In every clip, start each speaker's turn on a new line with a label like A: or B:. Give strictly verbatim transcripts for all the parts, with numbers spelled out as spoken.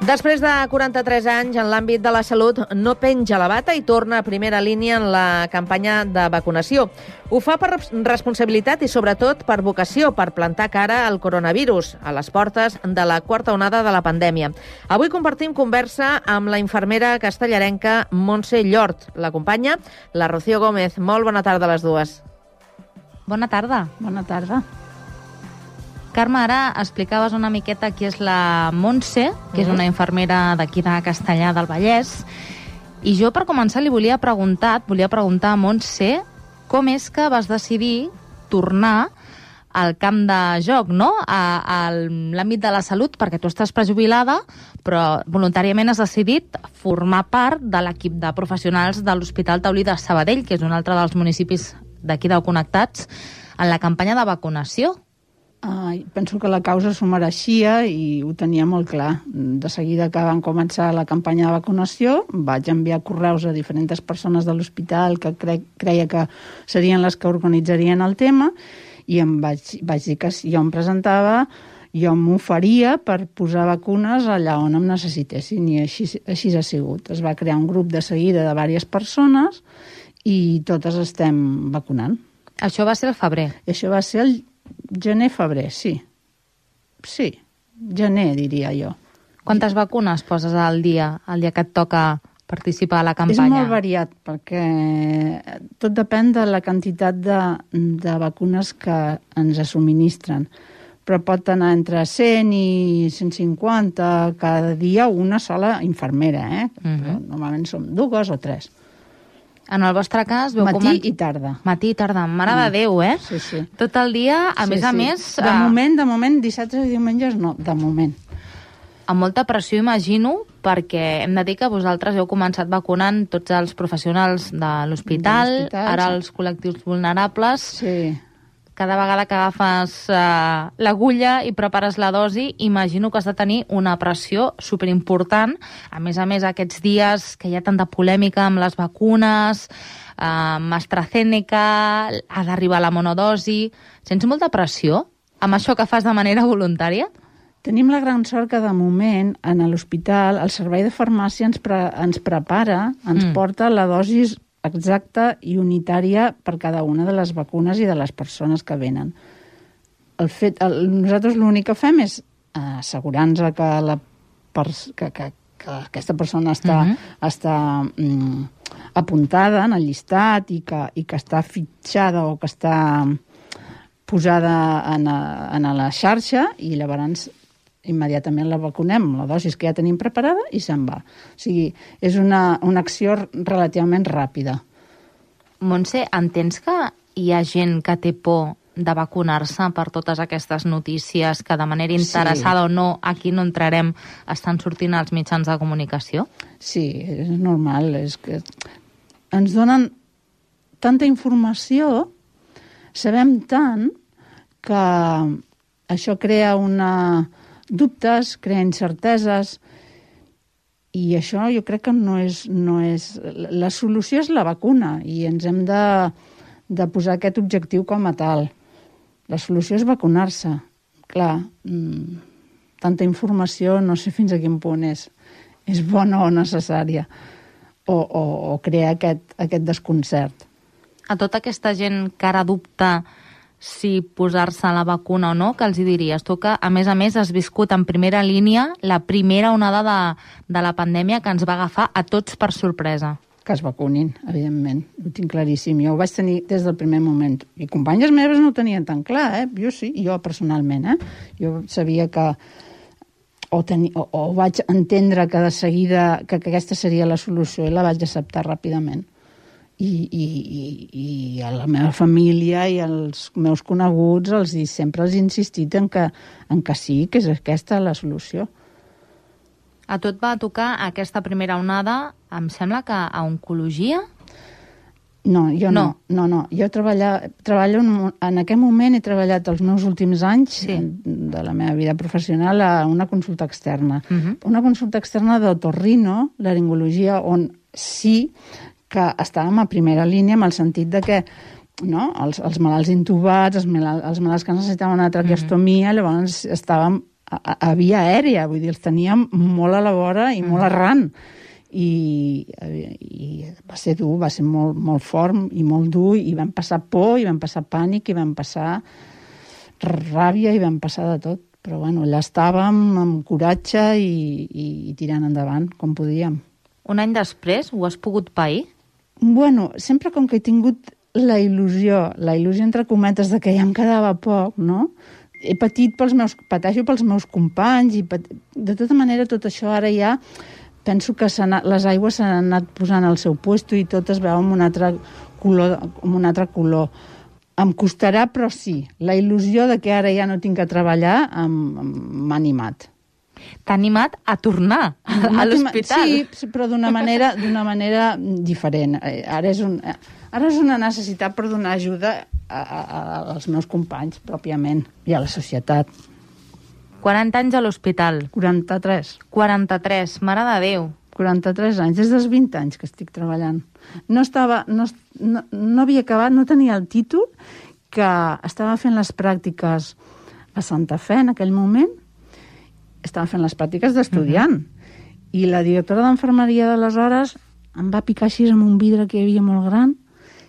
A: Després de quaranta-tres anys, en l'àmbit de la salut, no penja la bata i torna a primera línia en la campanya de vacunació. Ho fa per responsabilitat i, sobretot, per vocació, per plantar cara al coronavirus, a les portes de la quarta onada de la pandèmia. Avui compartim conversa amb la infermera castellarenca Montse Llort. L'acompanya la Rocío Gómez. Molt bona tarda a les dues.
B: Bona tarda.
C: Bona tarda.
B: Carme, ara explicaves una miqueta qui és la Montse, que és una infermera d'aquí de Castellar del Vallès, i jo per començar li volia preguntar, et volia preguntar a Montse, com és que vas decidir tornar al camp de joc, no? A, a l'àmbit de la salut, perquè tu estàs prejubilada, però voluntàriament has decidit formar part de l'equip de professionals de l'Hospital Taulí de Sabadell, que és un altre dels municipis d'aquí de Connectats, en la campanya de vacunació.
C: Uh, penso que la causa s'ho mereixia i ho tenia molt clar. De seguida que van començar la campanya de vacunació, vaig enviar correus a diferents persones de l'hospital que cre creia que serien les que organitzarien el tema i em vaig, vaig dir que si jo em presentava, jo m'oferia per posar vacunes allà on em necessitessin, i així, així ha sigut. Es va crear un grup de seguida de diverses persones i totes estem vacunant.
B: Això va ser el febrer?
C: I això va ser el gener-febrer, sí. Sí, gener, diria jo.
B: Quantes vacunes poses al dia, el dia que et toca participar a la campanya?
C: És molt variat, perquè tot depèn de la quantitat de, de vacunes que ens subministren. Però pot anar entre cent i cent cinquanta cada dia una sola infermera, eh? Uh-huh. Però normalment som dues o tres.
B: En el vostre cas... Veu
C: Matí
B: com...
C: i tarda.
B: Matí i tarda. Mare de Déu, eh?
C: Sí, sí.
B: Tot el dia, a
C: sí,
B: més
C: sí.
B: a més...
C: De uh... moment, de moment, dissabtes i diumenges no, de moment.
B: Amb molta pressió, imagino, perquè hem de dir que vosaltres heu començat vacunant tots els professionals de l'hospital, ara els col·lectius vulnerables...
C: Sí.
B: Cada vegada que agafes uh, l'agulla i prepares la dosi, imagino que has de tenir una pressió superimportant. A més a més, aquests dies que hi ha tanta polèmica amb les vacunes, uh, amb AstraZeneca, ha d'arribar la monodosi... Sents molta pressió amb això que fas de manera voluntària?
C: Tenim la gran sort que, de moment, en l'hospital, el servei de farmàcia ens, pre ens prepara, ens mm. porta la dosi exacta i unitària per cada una de les vacunes i de les persones que venen. El fet, el, nosaltres l'únic que fem és assegurar-nos que, la pers que, que, que aquesta persona està, uh-huh. està mm, apuntada en el llistat i que, i que està fitxada o que està posada en, a, en a la xarxa, i llavors immediatament la vacunem, la dosi que ja tenim preparada, i se'n va. O sigui, és una, una acció relativament ràpida.
B: Montse, entens que hi ha gent que té por de vacunar-se per totes aquestes notícies que de manera interessada sí. o no, aquí no entrarem, estan sortint als mitjans de comunicació?
C: Sí, és normal. És que ens donen tanta informació, sabem tant, que això crea una... dubtes, crea incerteses, i això jo crec que no és, no és... La solució és la vacuna, i ens hem de, de posar aquest objectiu com a tal. La solució és vacunar-se. Clar, mmm, tanta informació no sé fins a quin punt és, és bona o necessària, o, o, o crea aquest, aquest desconcert.
B: A tota aquesta gent que ara dubta si posar-se la vacuna o no, que els hi diries? Tu que, a més a més, has viscut en primera línia la primera onada de, de la pandèmia que ens va agafar a tots per sorpresa.
C: Que es vacunin, evidentment. Ho tinc claríssim. Jo ho vaig tenir des del primer moment. I companyes meves no ho tenien tan clar, eh? Jo sí, jo personalment, eh? Jo sabia que... O, teni... o, o vaig entendre que de seguida que, que aquesta seria la solució, i la vaig acceptar ràpidament. I, i, i, i a la meva família i als meus coneguts els, sempre els he insistit en que, en que sí, que és aquesta la solució.
B: A tu et va tocar aquesta primera onada, em sembla que a oncologia?
C: No, jo no. no, no, no. Jo treballo, treballo en, en aquest moment he treballat els meus últims anys sí. de la meva vida professional a una consulta externa. Uh-huh. Una consulta externa d'otorrino, laringologia, on sí que estàvem a primera línia en el sentit de que no, els, els malalts intubats, els, malalt, els malalts que necessitaven una traqueostomia, mm-hmm. llavors estàvem a, a via aèria, vull dir, els teníem molt a la vora i molt arran. I, i va ser dur, va ser molt, molt fort i molt dur, i vam passar por, i vam passar pànic, i vam passar ràbia, i vam passar de tot. Però bueno, allà estàvem amb coratge i, i, i tirant endavant, com podíem.
B: Un any després ho has pogut pair?
C: Bueno, sempre com que he tingut la il·lusió, la il·lusió entre cometes de que ja em quedava poc, no? He patit pels meus, pateixo pels meus companys, i pat... de tota manera tot això ara ja penso que anat, les aigües s'han anat posant al seu puesto i tot es veu amb un altre color, amb un altre color. Em costarà, però sí. La il·lusió de que ara ja no tinc que treballar m'ha animat.
B: T'ha animat a tornar a l'hospital.
C: Sí, però d'una manera, d'una manera diferent. Ara és, un, ara és una necessitat per donar ajuda a, a, a, als meus companys, pròpiament, i a la societat.
B: quaranta anys a l'hospital.
C: quaranta-tres.
B: quaranta-tres, mare de Déu.
C: quaranta-tres anys, des dels vint anys que estic treballant. No estava, no, no, no havia acabat, no tenia el títol, que estava fent les pràctiques a Santa Fe en aquell moment, estava fent les pràctiques d'estudiant, uh-huh. i la directora d'enfermeria d'aleshores em va picar així amb un vidre que hi havia molt gran,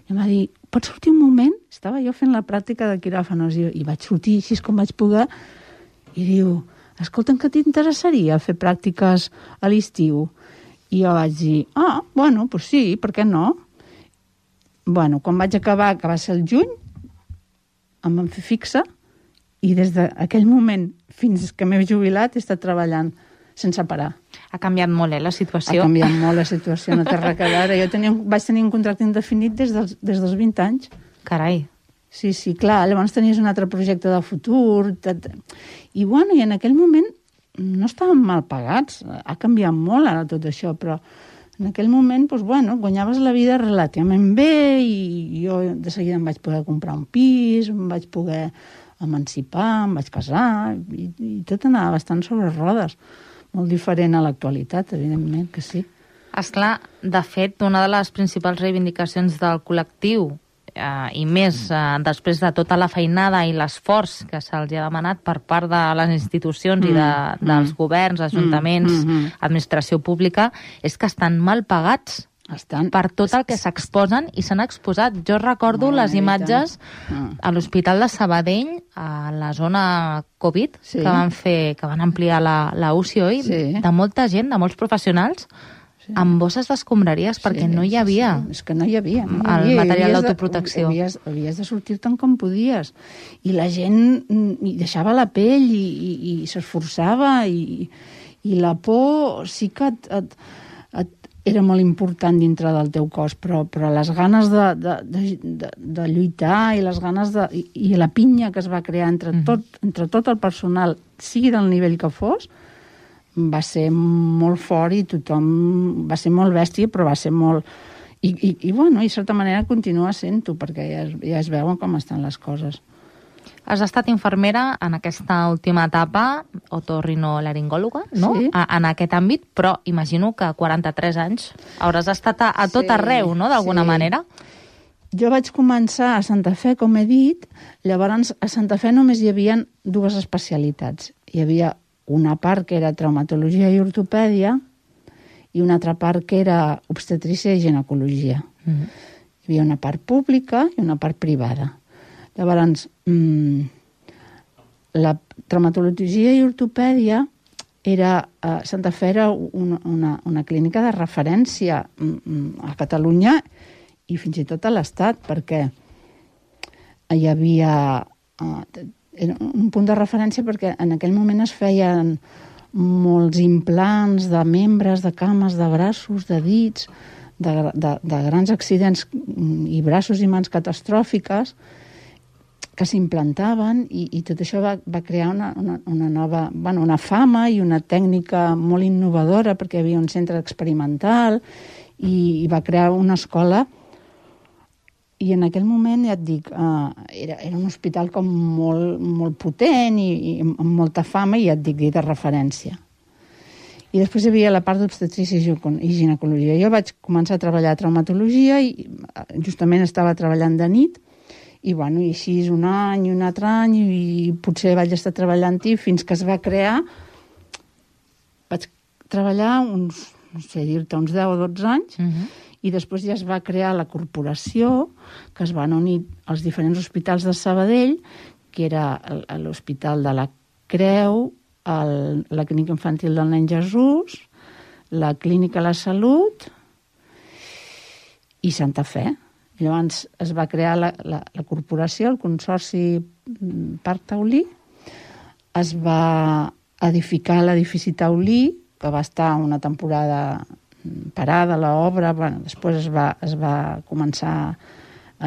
C: i em va dir, pots sortir un moment? Estava jo fent la pràctica de quiròfanos, i, i vaig sortir així com vaig poder, i diu, escolta'm, que t'interessaria fer pràctiques a l'estiu? I jo vaig dir, ah, bueno, doncs sí, per què no? Bueno, quan vaig acabar, que va ser el juny, em van fer fixa, i des d'aquell moment fins que m'he jubilat he estat treballant sense parar.
B: Ha canviat molt, eh, la situació?
C: Ha canviat molt la situació, no té res a veure. Jo tenia, vaig tenir un contracte indefinit des dels, des dels vint anys.
B: Carai.
C: Sí, sí, clar, llavors tenies un altre projecte de futur. Tot... I bueno, i en aquell moment no estàvem mal pagats. Ha canviat molt ara tot això, però en aquell moment, doncs, bueno, guanyaves la vida relativament bé, i jo de seguida em vaig poder comprar un pis, em vaig poder emancipar, em vaig casar, i, i tot anava bastant sobre rodes. Molt diferent a l'actualitat, evidentment, que sí.
B: Esclar, de fet, una de les principals reivindicacions del col·lectiu, eh, i més eh, després de tota la feinada i l'esforç que se'ls ha demanat per part de les institucions mm, i de, dels mm, governs, ajuntaments, mm, mm, administració pública, és que estan mal pagats estan... per tot el que s'exposen i s'han exposat. Jo recordo oh, les imatges ah. a l'Hospital de Sabadell, a la zona Covid, sí. que van fer, que van ampliar la, la U C I, oi? Sí. De molta gent, de molts professionals, sí. amb bosses d'escombraries, perquè sí, no hi havia,
C: sí, sí. És que no hi havia, no hi
B: el
C: havia.
B: material d'autoprotecció.
C: Havies, havies de sortir tant com podies. I la gent i deixava la pell i, i, i s'esforçava, i, i la por sí que et, et, et era molt important dintre del teu cos, però, però les ganes de, de, de, de, de lluitar i les ganes de, i, i la pinya que es va crear entre tot, entre tot el personal, sigui del nivell que fos, va ser molt fort i tothom va ser molt bèstia, però va ser molt... I, i, i bueno, i de certa manera continua sent-ho, perquè ja es, ja es veuen com estan les coses.
B: Has estat infermera en aquesta última etapa, otorrinolaringòloga, no? Sí. A, en aquest àmbit, però imagino que a quaranta-tres anys hauràs estat a, a tot sí, arreu, no?, d'alguna sí. manera.
C: Jo vaig començar a Santa Fe, com he dit, llavors a Santa Fe només hi havia dues especialitats. Hi havia una part que era traumatologia i ortopèdia i una altra part que era obstetrícia i ginecologia. Mm-hmm. Hi havia una part pública i una part privada. Llavors, mmm, la traumatologia i ortopèdia era, a Santa Fe era una, una, una clínica de referència a Catalunya i fins i tot a l'Estat, perquè hi havia uh, un punt de referència perquè en aquell moment es feien molts implants de membres, de cames, de braços, de dits, de, de, de grans accidents i braços i mans catastròfiques que s'implantaven i, i tot això va, va crear una, una, una nova, bueno, una fama i una tècnica molt innovadora perquè hi havia un centre experimental i, i va crear una escola i en aquell moment, ja et dic, uh, era, era un hospital com molt, molt potent i, i amb molta fama i ja et dic, de referència. I després hi havia la part d'obstetrícia i ginecologia. Jo vaig començar a treballar a traumatologia i justament estava treballant de nit I, bueno, i així un any, un altre any, i potser vaig estar treballant-hi fins que es va crear. Vaig treballar uns, no sé dir-te, uns deu o dotze anys, uh-huh. i després ja es va crear la corporació, que es van unir als diferents hospitals de Sabadell, que era l'Hospital de la Creu, el, la Clínica Infantil del Nen Jesús, la Clínica La Salut i Santa Fe. I llavors es va crear la, la, la corporació, el Consorci Parc Taulí, es va edificar l'edifici Taulí, que va estar una temporada parada l'obra, bueno, després es va, es va començar a,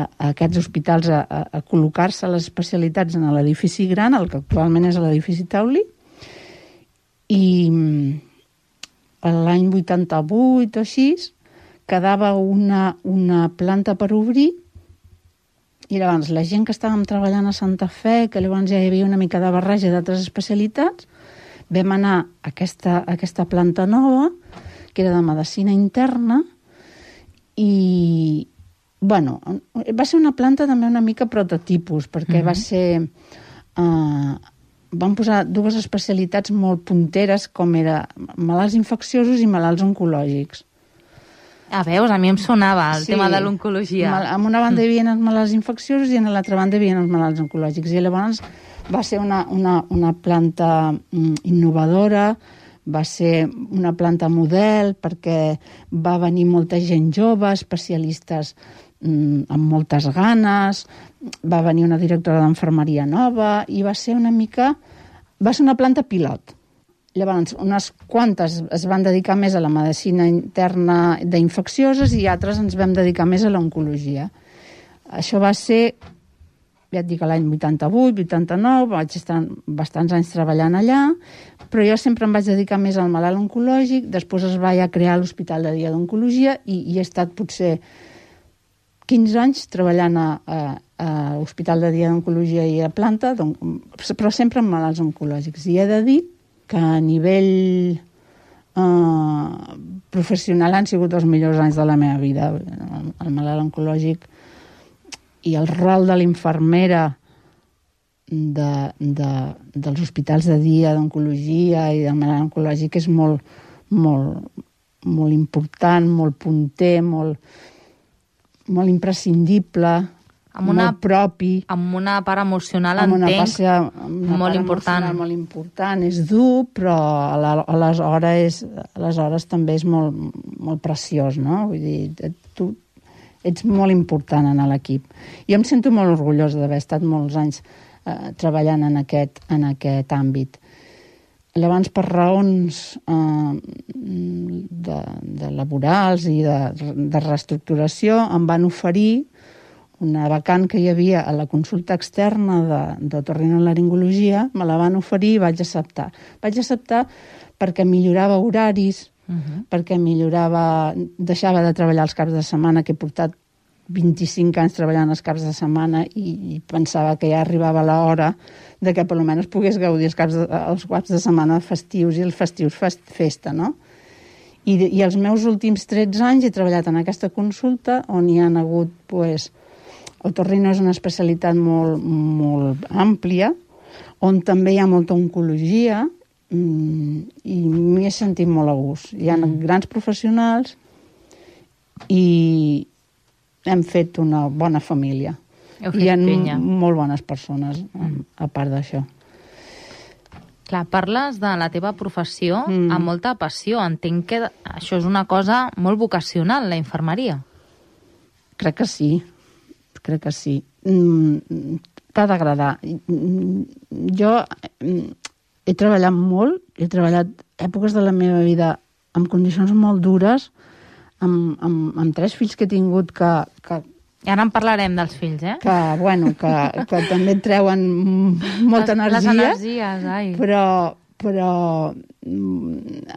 C: a aquests hospitals a, a, a col·locar-se les especialitats en l'edifici gran, el que actualment és l'edifici Taulí, i l'any vuitanta-vuit o així quedava una, una planta per obrir, i llavors la gent que estàvem treballant a Santa Fe, que llavors ja hi havia una mica de barreja d'altres especialitats, vam anar a aquesta, a aquesta planta nova, que era de medicina interna, i, bueno, va ser una planta també una mica prototipus, perquè mm-hmm. va ser... Uh, van posar dues especialitats molt punteres, com era malalts infecciosos i malalts oncològics.
B: Ah, veus, a mi em sonava el
C: sí,
B: tema de l'oncologia.
C: En una banda hi havia els malalts infecciosos i en l'altra banda hi havia els malalts oncològics. I llavors va ser una, una, una planta mm, innovadora, va ser una planta model perquè va venir molta gent jove, especialistes mm, amb moltes ganes, va venir una directora d'enfermeria nova i va ser una mica... va ser una planta pilot. Llavors, unes quantes es van dedicar més a la medicina interna d'infeccioses i altres ens vam dedicar més a l'oncologia. Això va ser, ja et dic, l'any vuitanta-vuit, vuitanta-nou, vaig estar bastants anys treballant allà, però jo sempre em vaig dedicar més al malalt oncològic, després es va ja crear l'Hospital de Dia d'Oncologia i, i he estat potser quinze anys treballant a, a, a l'Hospital de Dia d'Oncologia i a planta, però sempre amb malalts oncològics. I he de dir que a nivell eh, professional han sigut els millors anys de la meva vida. El, el malalt oncològic i el rol de l'infermera de, de, dels hospitals de dia d'oncologia i del malalt oncològic és molt, molt, molt important, molt punter, molt, molt imprescindible, amb una, molt propi.
B: Amb una part emocional,
C: amb una
B: entenc,
C: part, una
B: molt
C: part
B: important.
C: Molt important. És dur, però aleshores, aleshores també és molt, molt preciós, no? Vull dir, tu ets molt important en l'equip. Jo em sento molt orgullosa d'haver estat molts anys eh, treballant en aquest, en aquest àmbit. Llavors, per raons eh, de, de laborals i de, de reestructuració, em van oferir una vacant que hi havia a la consulta externa d'otorrinolaringologia, me la van oferir i vaig acceptar. Vaig acceptar perquè millorava horaris, uh-huh. perquè millorava, deixava de treballar els caps de setmana, que he portat vint-i-cinc anys treballant els caps de setmana i, i pensava que ja arribava l'hora de que per almenys pogués gaudir els caps de, els caps de setmana festius i els festius fest, festa, no? I, I els meus últims tretze anys he treballat en aquesta consulta on hi ha hagut, pues, otorrino és una especialitat molt, molt àmplia, on també hi ha molta oncologia mmm, i m'hi he sentit molt a gust. Hi ha mm. grans professionals i hem fet una bona família. Hi ha pinya. Molt bones persones, mm. a part d'això.
B: Clar, parles de la teva professió mm. amb molta passió. Entenc que això és una cosa molt vocacional, la infermeria.
C: Crec que sí. Crec que sí. Mm, t'ha d'agradar. Jo he treballat molt, he treballat èpoques de la meva vida en condicions molt dures, amb, amb, amb tres fills que he tingut que... que
B: I ara en parlarem dels fills, eh?
C: Que, bueno, que, que també et treuen molta
B: les,
C: energia.
B: Les energies, ai.
C: Però, però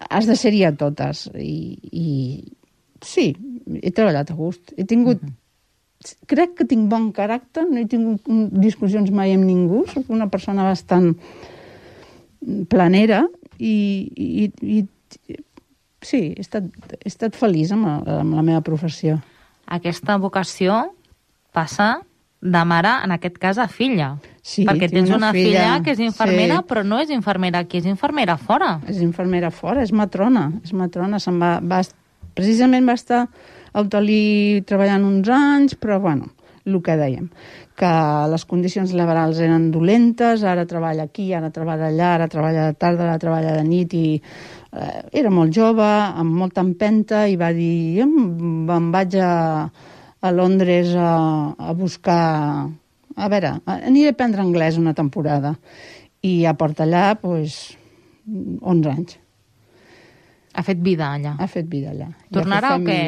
C: has de ser-hi a totes. I, i sí, he treballat a gust. He tingut... Uh-huh. Crec que tinc bon caràcter, no he tingut discussions mai amb ningú, soc una persona bastant planera i, i, i sí, he estat, he estat feliç amb la, amb la meva professió.
B: Aquesta vocació passa de mare, en aquest cas, a filla.
C: Sí,
B: perquè tens una, una filla, filla que és infermera,
C: sí.
B: però no és infermera aquí, és infermera fora.
C: És infermera fora, és matrona. És matrona, se'n va, va... Precisament va estar a Autolí treballant uns anys, però, bueno, el que dèiem, que les condicions laborals eren dolentes, ara treballa aquí, ara treballa allà, ara treballa de tarda, ara treballa de nit, i eh, era molt jove, amb molta empenta, i va dir, jo me'n vaig a, a Londres a, a buscar... A veure, aniré a aprendre anglès una temporada. I ja porta allà, doncs, onze anys.
B: Ha fet vida allà.
C: Ha fet vida allà.
B: Tornarà o què?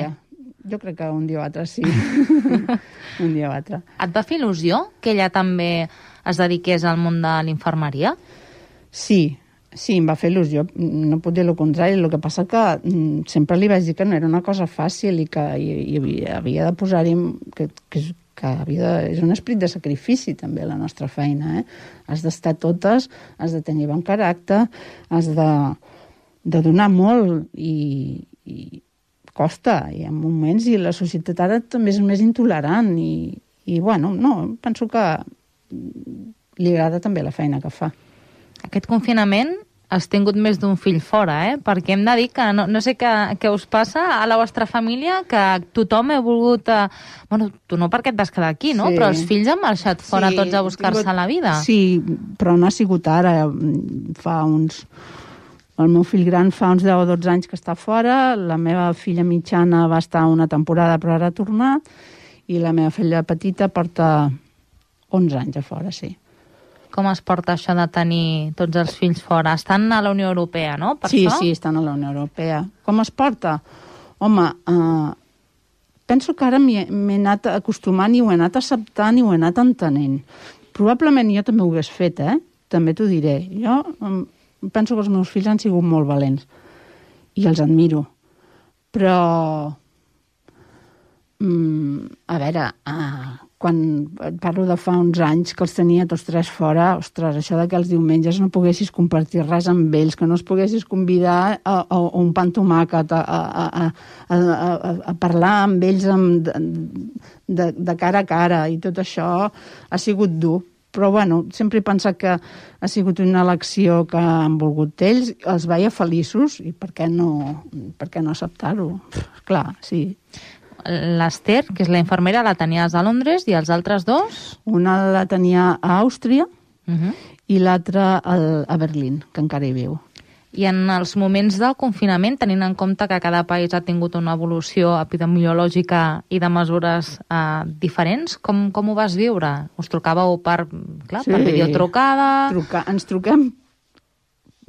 C: Jo crec que un dia o altre sí. Un dia o altre.
B: Et va fer il·lusió que ella també es dediqués al món de l'infermeria?
C: Sí, sí, em va fer il·lusió. No puc dir el contrari. El que passa que sempre li vaig dir que no era una cosa fàcil i que hi, hi havia, havia de posar-hi... Que, que, que havia de, és un esperit de sacrifici també la nostra feina. Eh? Has d'estar totes, has de tenir bon caràcter, has de, de donar molt i... i costa, i en moments, i la societat ara també és més intolerant, i, i bueno, no, penso que li agrada també la feina que fa.
B: Aquest confinament has tingut més d'un fill fora, eh? Perquè hem de dir que, no, no sé què, què us passa a la vostra família, que tothom he volgut... Eh... Bueno, tu no perquè et vas quedar aquí, no? Sí. Però els fills han marxat fora sí, tots a buscar-se tingut... la vida.
C: Sí, però no ha sigut ara, fa uns... El meu fill gran fa uns deu o dotze anys que està fora, la meva filla mitjana va estar una temporada però ara ha tornat, i la meva filla petita porta onze anys a fora, sí.
B: Com es porta això de tenir tots els fills fora? Estan a la Unió Europea, no? Per
C: sí,
B: això?
C: sí, estan a la Unió Europea. Com es porta? Home, eh, penso que ara m'he anat acostumant i ho he anat acceptant i ho he anat entenent. Probablement jo també ho hagués fet, eh? També t'ho diré. Jo... Eh, penso que els meus fills han sigut molt valents i els admiro, però mm, a veure, ah, quan parlo de fa uns anys que els tenia tots tres fora, ostres, això de que els diumenges no poguessis compartir res amb ells, que no els poguessis convidar a, a, a un pa amb tomàquet, a, a, a, a, a, a parlar amb ells amb, de, de, de cara a cara, i tot això ha sigut dur. Però, bueno, sempre he pensat que ha sigut una elecció que han volgut ells, els veia feliços, i per què no, per què no acceptar-ho? Clar, sí.
B: L'Ester, que és la infermera, la tenies a Londres, i els altres dos?
C: Una la tenia a Àustria,
B: uh-huh.
C: i l'altra a Berlín, que encara hi viu.
B: I en els moments del confinament, tenint en compte que cada país ha tingut una evolució epidemiològica i de mesures eh, diferents, com, com ho vas viure? Us trucàveu per, clar, sí. per videotrucada?
C: Truca, ens truquem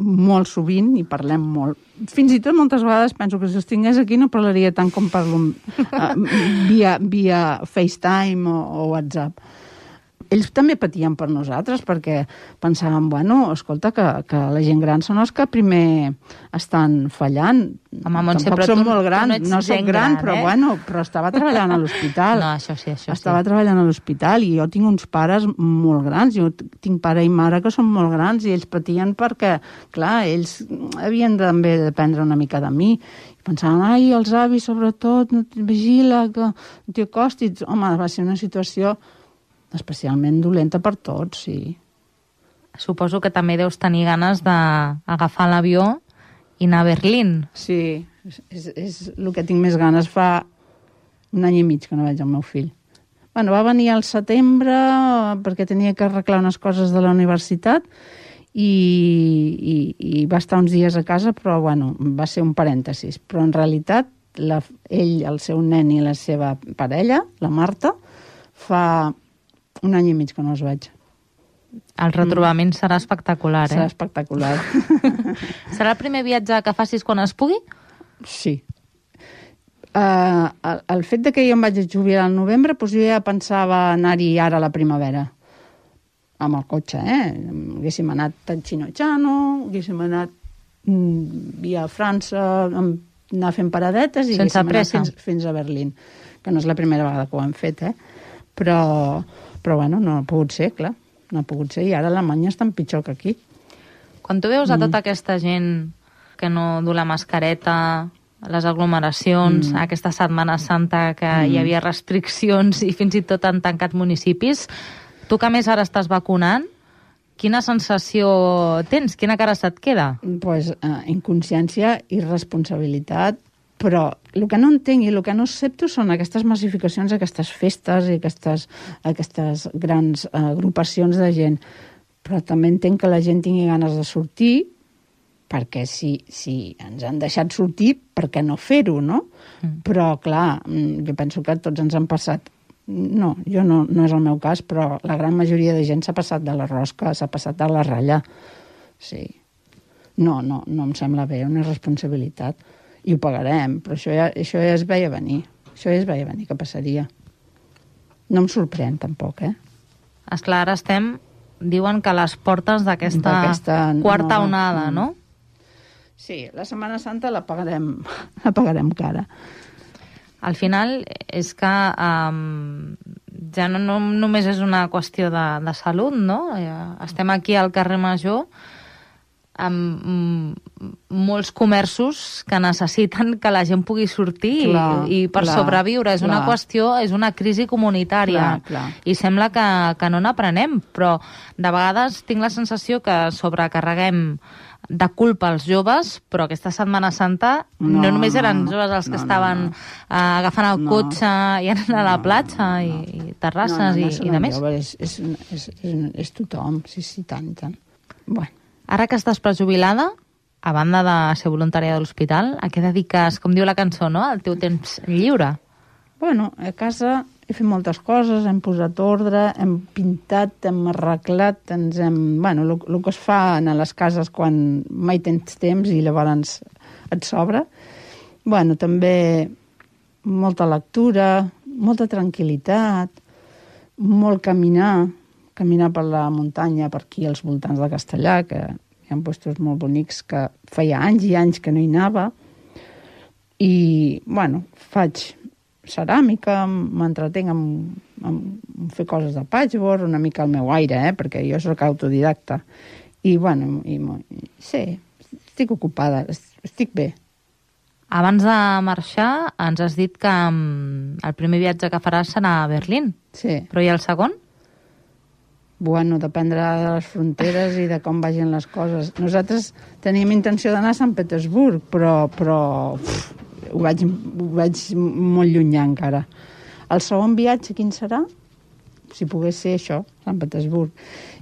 C: molt sovint i parlem molt. Fins i tot moltes vegades penso que si els tingués aquí no parlaria tant com parlo uh, via, via FaceTime o, o WhatsApp. Ells també patien per nosaltres, perquè pensàvem, bueno, escolta, que, que la gent gran són els que primer estan fallant.
B: Home, Montse,
C: tampoc som molt grans, no, no soc gran,
B: gran,
C: però
B: eh?
C: bueno, però estava treballant a l'hospital.
B: No, això sí, això
C: estava
B: sí.
C: treballant a l'hospital, i jo tinc uns pares molt grans, jo tinc pare i mare que són molt grans, i ells patien perquè, clar, ells havien també d'aprendre una mica de mi. I pensaven, ai, els avis, sobretot, no vigila, que no t'hi acostis. Home, va ser una situació especialment dolenta per tots, sí.
B: Suposo que també deus tenir ganes d'agafar l'avió i anar a Berlín.
C: Sí, és, és el que tinc més ganes. Fa un any i mig que no veig el meu fill. Bueno, va venir al setembre perquè tenia que arreglar unes coses de la universitat i, i, i va estar uns dies a casa, però bueno, va ser un parèntesis. Però en realitat, la, ell, el seu nen i la seva parella, la Marta, fa un any i mig que no els veig.
B: El retrobament mm. serà espectacular, eh?
C: Serà espectacular.
B: Serà el primer viatge que facis quan es pugui?
C: Sí. Uh, el, el fet de que jo em vaig jubilar al novembre, doncs jo ja pensava anar-hi ara a la primavera. Amb el cotxe, eh? Haguéssim anat a Chinojano, haguéssim anat mm, via França, anar fent paradetes i
B: sense
C: haguéssim
B: pressa.
C: anat fins, fins a Berlín. Que no és la primera vegada que ho hem fet, eh? Però... Però, bueno, no ha pogut ser, clar. No ha pogut ser, i ara Alemanya està pitjor que aquí.
B: Quan tu veus a tota aquesta gent que no du la mascareta, les aglomeracions,
C: Mm.
B: aquesta Setmana Santa que
C: Mm.
B: hi havia restriccions i fins i tot han tancat municipis. Tu que a més ara estàs vacunant, quina sensació tens? Quina cara se't queda?
C: Pues, eh, inconsciència i responsabilitat, però el que no entenc i el que no accepto són aquestes massificacions, aquestes festes i aquestes, aquestes grans eh, agrupacions de gent. Però també entenc que la gent tingui ganes de sortir, perquè si, si ens han deixat sortir, per què no fer-ho, no? Mm. Però, clar, jo penso que tots ens han passat. No, jo no, no és el meu cas, però la gran majoria de gent s'ha passat de la rosca, s'ha passat de la ratlla. Sí. No, no, no em sembla bé, una responsabilitat. I ho pagarem, però això ja, això ja es veia venir. Això ja es veia venir que passaria. No em sorprèn, tampoc, eh?
B: Esclar, ara estem, diuen que a les portes d'aquesta quarta
C: nova,
B: onada, no?
C: Sí, la Setmana Santa la pagarem, la pagarem cara.
B: Al final és que um, ja no, no només és una qüestió de, de salut, no? Estem aquí al carrer Major amb mm, molts comerços que necessiten que la gent pugui sortir
C: clar,
B: i, i per
C: clar,
B: sobreviure. És
C: clar.
B: una qüestió, és una crisi comunitària.
C: Clar, clar.
B: I sembla que, que no n'aprenem, però de vegades tinc la sensació que sobrecarreguem de culpa als joves, però aquesta Setmana Santa no, no només eren joves els que
C: no,
B: estaven
C: no, no.
B: Uh, agafant el
C: No.
B: cotxe i anant a la
C: No,
B: platja
C: no,
B: i,
C: no.
B: i terrasses
C: no, no, no
B: i,
C: són
B: i de més.
C: joves, és, és, és, és, és tothom, sí, sí, tant, tant. Bueno.
B: Ara que estàs prejubilada, a banda de ser voluntària de l'hospital, a què dediques, com diu la cançó, no?, el teu temps lliure?
C: Bueno, a casa he fet moltes coses, hem posat ordre, hem pintat, hem arreglat, ens hem... Bueno, el que es fa a les cases quan mai tens temps i llavors et sobra. Bueno, també molta lectura, molta tranquil·litat, molt caminar, caminar per la muntanya, per aquí als voltants de Castellà, que hi ha llocs molt bonics que feia anys i anys que no hi anava. I, bueno, faig ceràmica, m'entretenc amb, amb fer coses de patchwork, una mica al meu aire, eh? Perquè jo soc autodidacta. I, bueno, i, i, sí, estic ocupada, estic bé.
B: Abans de marxar, ens has dit que um, el primer viatge que faràs serà a Berlín.
C: Sí.
B: Però i el segon?
C: Bueno, dependrà de les fronteres i de com vagin les coses. Nosaltres teníem intenció d'anar a Sant Petersburg, però, però uf, ho, vaig, ho vaig molt llunyà encara. El segon viatge, quin serà? Si pogués ser això, Sant Petersburg.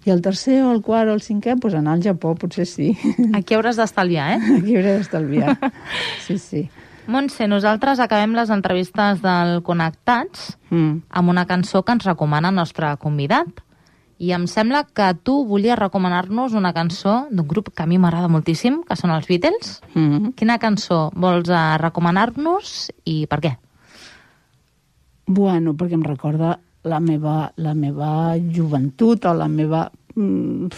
C: I el tercer, o el quart, o el cinquè, doncs anar al Japó, potser sí.
B: Aquí hauràs d'estalviar, eh?
C: Aquí hauré d'estalviar. Sí, sí.
B: Montse, nosaltres acabem les entrevistes del Connectats mm. amb una cançó que ens recomana el nostre convidat. I em sembla que tu volies recomanar-nos una cançó d'un grup que a mi m'agrada moltíssim, que són els Beatles. Mm-hmm. Quina cançó vols recomanar-nos i per què?
C: Bueno, perquè em recorda la meva, la meva joventut o la meva... Mm,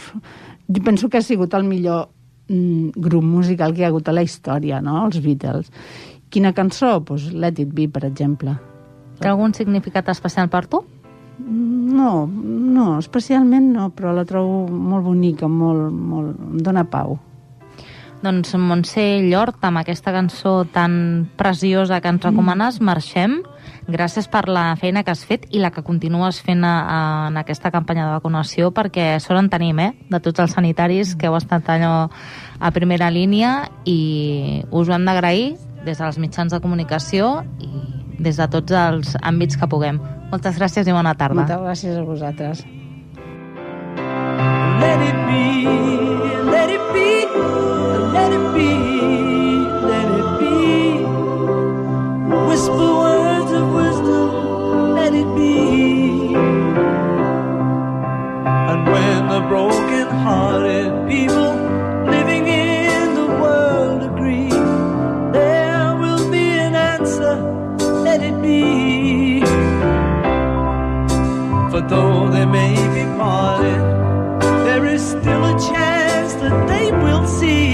C: jo penso que ha sigut el millor mm, grup musical que hi ha hagut a la història, no?, els Beatles. Quina cançó? Pues Let It Be, per exemple.
B: Té algun significat especial per tu?
C: No, no, especialment no, però la trobo molt bonica, molt, molt, em dóna pau.
B: Doncs Montse Llort, amb aquesta cançó tan preciosa que ens recomanes, mm. marxem. Gràcies per la feina que has fet i la que continues fent a, a, en aquesta campanya de vacunació, perquè sort en tenim, eh?, de tots els sanitaris que heu estat allò a primera línia i us ho hem d'agrair des dels mitjans de comunicació i des de tots els àmbits que puguem. Moltes gràcies i bona tarda.
C: Moltes gràcies a vosaltres.
D: Let it be, let it be, let it be, let it be. Whisper words of wisdom, let it be. And when the broken-hearted people living in the world agree, there will be an answer, let it be. For though they may be parted, there is still a chance that they will see